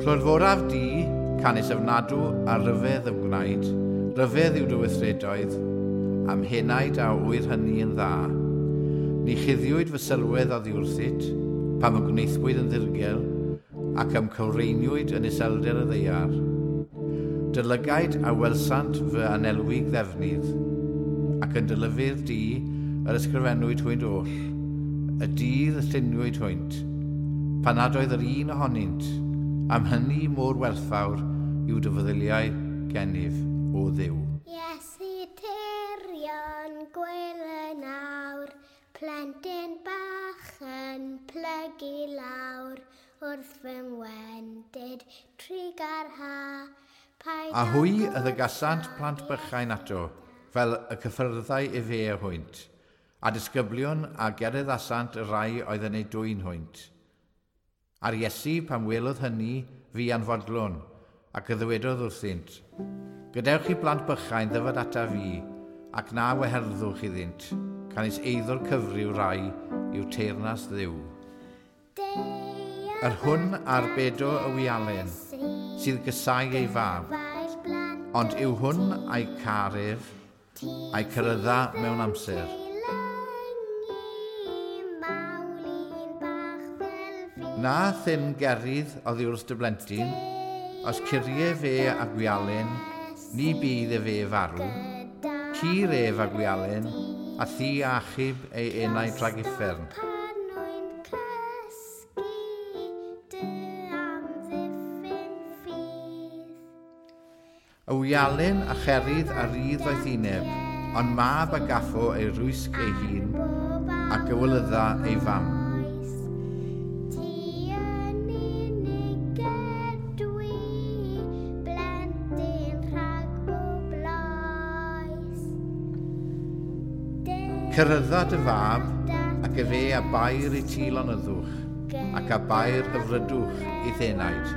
Clodforaf di, canys ofnadw a ryfedd ymwneud, ryfedd yw dy weithredoedd, am henaid a wyr hynny yn dda. Ni chuddiwyd fy sylwedd oddi wrthyt, pam y gwnaethpwyd yn ddirgel, ac am cywreiniwyd yn iselder y ddaear. Dy lygaid a welsant fy anelwig ddefnydd, ac yn dy lyfr di yr ysgrifennwyd hwynt oll, y dydd y lluniwyd hwynt, pan nad oedd yr un ohonynt, am hynny mor werthfawr yw dy feddyliau gennyf o Dduw. Iesu tirion gwel yn awr, plentyn bach yn plygu lawr, wrth fy ngwendid trugarha. A hwy y ddygasant plant bychain ato, fel y cyffyrddau efe a hwynt, a disgyblion a geryddasant y rhai oedd yn ei dwyn hwynt. A'r Iesu, pan welodd hynny, fu anfodlon, ac y ddywedodd wrthynt, Gadewch i blant bychain ddyfod ata fi, ac na weherddwch iddynt, canys eiddo'r cyfryw rai yw teyrnas Dduw. Yr hwn ar bedo y wialen, sydd gysau ei fab, ond yw hwn a'i car ef, a'i cyrydda mewn amser. Na thyn gerydd oddi wrth dy blentyn, os curie fe a gwialen, ni bydd efe farw. Cur ef a gwialen, a thi achub ei enau rhag uffern. Y wialen a cherydd a rydd ddoethineb, ond mab a gaffo ei rwysg ei hun ac ywylydda ei fam. Cyrydda dy fab, ac efe a bair i ti lonyddwch, ac a bair hyfrydwch i thenaid.